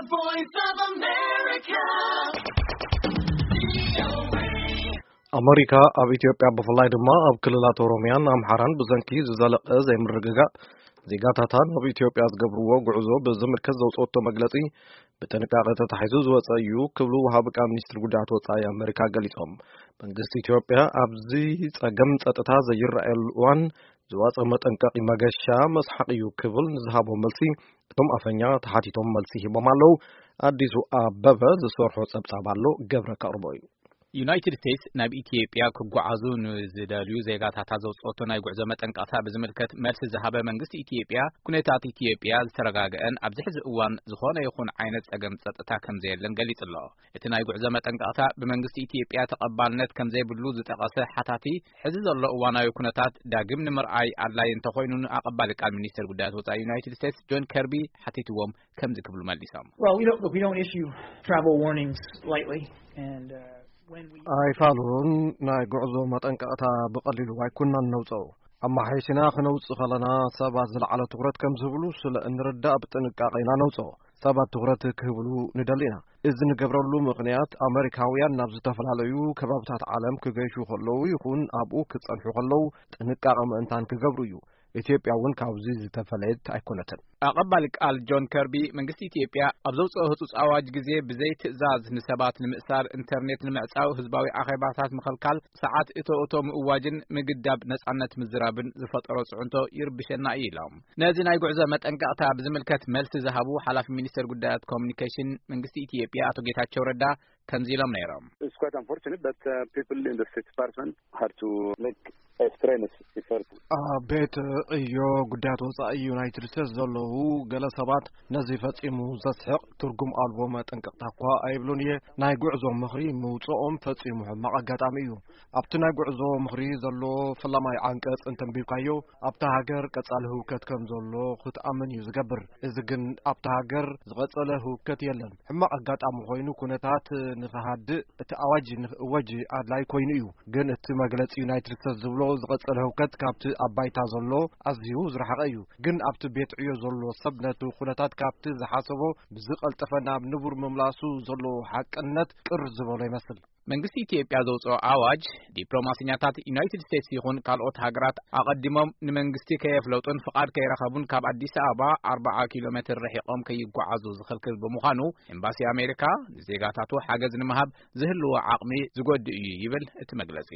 Voice of America. ኣመሪካ ኣብ ኢትዮጵያ፣ ብፍላይ ድማ ኣብ ክልላት ኦሮሚያን ኣምሓራን ብሰንኪ ዝዘለቐ ዘይምርግጋእ፣ ዜጋታታ ናብ ኢትዮጵያ ዝገብርዎ ጉዕዞ ብዝምልከት ዘውፅኦቶ መግለፂ ብጥንቃቐ ተታሒዙ ዝወፀ እዩ ክብሉ ወሃቢ ቃል ሚኒስትር ጉዳያት ወፃኢ ኣመሪካ ገሊፆም። መንግስቲ ኢትዮጵያ ኣብዚ ፀገም ፀጥታ ዘይረኣየሉ እዋን ዝወፀ መጠንቀቒ መገሻ መስሓቕ እዩ ክብል ንዝሃቦ መልሲ፣ እቶም ኣፈኛ ተሓቲቶም መልሲ ሂቦም ኣለዉ። ኣዲሱ ኣበበ ዝሰርሖ ጸብጻብ ኣሎ፣ ገብረ ከቕርቦ እዩ። ዩናይትድ ስቴትስ ናብ ኢትዮጵያ ክጓዓዙ ንዝደልዩ ዜጋታታ ዘውጽኦቶ ናይ ጉዕዞ መጠንቀቕታ ብዝምልከት መልሲ ዝሃበ መንግስቲ ኢትዮጵያ፣ ኩነታት ኢትዮጵያ ዝተረጋግአን ኣብዚ ሕዚ እዋን ዝኾነ ይኹን ዓይነት ጸገም ጸጥታ ከም ዘየለን ገሊጹ ኣሎ። እቲ ናይ ጉዕዞ መጠንቀቕታ ብመንግስቲ ኢትዮጵያ ተቐባልነት ከም ዘይብሉ ዝጠቐሰ ሓታቲ፣ ሕዚ ዘሎ እዋናዊ ኩነታት ዳግም ንምርኣይ ኣድላይ እንተኾይኑ፣ ንኣቐባሊ ቃል ሚኒስትር ጉዳያት ወጻኢ ዩናይትድ ስቴትስ ጆን ከርቢ ሓቲትዎም ከምዚ ክብሉ መልሶም። Well, we don't, look, we don't issue travel warnings lightly, and, uh, when we ኣይፋሉን፣ ናይ ጉዕዞ መጠንቀቕታ ብቐሊሉ ኣይኩናን ነውፅኦ። ኣመሓይሽና ክነውፅእ ከለና ሰባት ዝለዓለ ትኹረት ከም ዝህብሉ ስለ እንርዳእ ብጥንቃቐ ኢና ነውፅኦ። ሰባት ትኹረት ክህብሉ ንደሊ ኢና። እዚ ንገብረሉ ምኽንያት ኣመሪካውያን ናብ ዝተፈላለዩ ከባብታት ዓለም ክገይሹ ከለዉ ይኹን ኣብኡ ክጸንሑ ከለዉ ጥንቃቐ ምእንታን ክገብሩ እዩ። ኢትዮጵያ እውን ካብዚ ዝተፈለየት ኣይኮነትን። ኣቐባሊ ቃል ጆን ከርቢ፣ መንግስቲ ኢትዮጵያ ኣብ ዘውፅኦ ህጹጽ ኣዋጅ ግዜ ብዘይ ትእዛዝ ንሰባት ንምእሳር፣ ኢንተርኔት ንምዕጻው፣ ህዝባዊ ኣኼባታት ምኽልካል፣ ሰዓት እቶ እቶ ምእዋጅን ምግዳብ ነጻነት ምዝራብን ዝፈጠሮ ጽዕንቶ ይርብሸና እዩ ኢሎም። ነዚ ናይ ጉዕዞ መጠንቀቕታ ብዝምልከት መልሲ ዝሃቡ ሓላፊ ሚኒስቴር ጉዳያት ኮሚኒኬሽን መንግስቲ ኢትዮጵያ ኣቶ ጌታቸው ረዳ ከምዚ ኢሎም ነይሮም። It's quite unfortunate that, uh, people in the State Department had to make a strenuous effort. ኣብ ቤት ዕዮ ጉዳያት ወጻኢ ዩናይትድ ስቴትስ ዘለዉ ገለ ሰባት ነዚ ፈጺሙ ዘስሕቕ ትርጉም ኣልቦ መጠንቀቕታ እኳ ኣይብሉን እየ። ናይ ጉዕዞ ምኽሪ ምውጽኦም ፈጺሙ ሕማቕ ኣጋጣሚ እዩ። ኣብቲ ናይ ጉዕዞ ምኽሪ ዘሎ ፈላማይ ዓንቀጽ እንተንቢብካዮ፣ ኣብታ ሃገር ቀጻሊ ህውከት ከም ዘሎ ክትኣምን እዩ ዝገብር። እዚ ግን ኣብታ ሃገር ዝቐጸለ ህውከት የለን። ሕማቕ ኣጋጣሚ ኮይኑ ኩነታት ንኽሃድእ እቲ ኣዋጅ ንኽእወጅ ኣድላይ ኮይኑ እዩ። ግን እቲ መግለጺ ዩናይትድ ስቴትስ ዝብሎ ዝቐጸለ ህውከት ካብቲ ኣብ ባይታ ዘሎ ኣዝዩ ዝረሓቐ እዩ። ግን ኣብቲ ቤት ዕዮ ዘሎ ሰብ ነቲ ኩነታት ካብቲ ዝሓሰቦ ብዝቐልጠፈ ናብ ንቡር ምምላሱ ዘሎ ሓቅነት ቅር ዝበሎ ይመስል። መንግስቲ ኢትዮጵያ ዘውፅኦ ኣዋጅ፣ ዲፕሎማሰኛታት ዩናይትድ ስቴትስ ይኹን ካልኦት ሃገራት ኣቐዲሞም ንመንግስቲ ከየፍለጡን ፍቓድ ከይረኸቡን ካብ ኣዲስ ኣበባ ኣርብዓ ኪሎ ሜትር ርሒቖም ከይጓዓዙ ዝኽልክል ብምዃኑ፣ ኤምባሲ ኣሜሪካ ንዜጋታቱ ሓገዝ ንምሃብ ዝህልዎ ዓቕሚ ዝጎድእ እዩ ይብል እቲ መግለጺ።